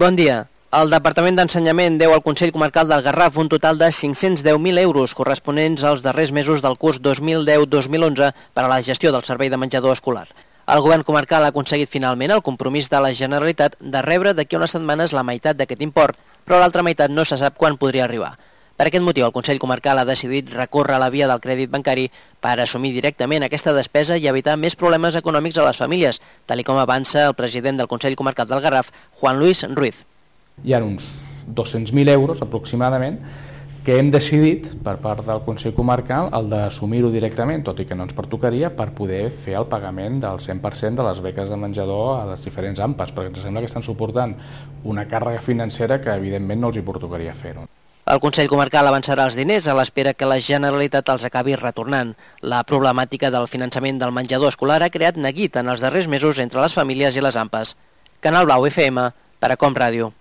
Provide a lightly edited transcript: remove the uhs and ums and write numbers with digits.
Bon dia. El Departament d'Ensenyament deu al Consell Comarcal del Garraf un total de 510.000 euros corresponents als darrers mesos del curs 2010-2011 per a la gestió del servei de menjador escolar. El govern comarcal ha aconseguit finalment el compromís de la Generalitat de rebre d'aquí a unes setmanes la meitat d'aquest import, però l'altra meitat no se sap quan podria arribar. Per aquest motiu, el Consell Comarcal ha decidit recórrer a la via del crèdit bancari per assumir directament aquesta despesa i evitar més problemes econòmics a les famílies, tal com avança el president del Consell Comarcal del Garraf, Juan Luis Ruiz. Hi ha uns 200.000 euros aproximadament que hem decidit per part del Consell Comarcal el d'assumir-ho directament, tot i que no ens pertocaria, per poder fer el pagament del 100% de les beques de menjador a les diferents AMPAs, perquè ens sembla que estan suportant una càrrega financera que evidentment no els hi pertocaria fer-ho. El Consell Comarcal avançarà els diners a l'espera que la Generalitat els acabi retornant. La problemàtica del finançament del menjador escolar ha creat neguit en els darrers mesos entre les famílies i les AMPAs. Canal Blau FM, per a Com Ràdio.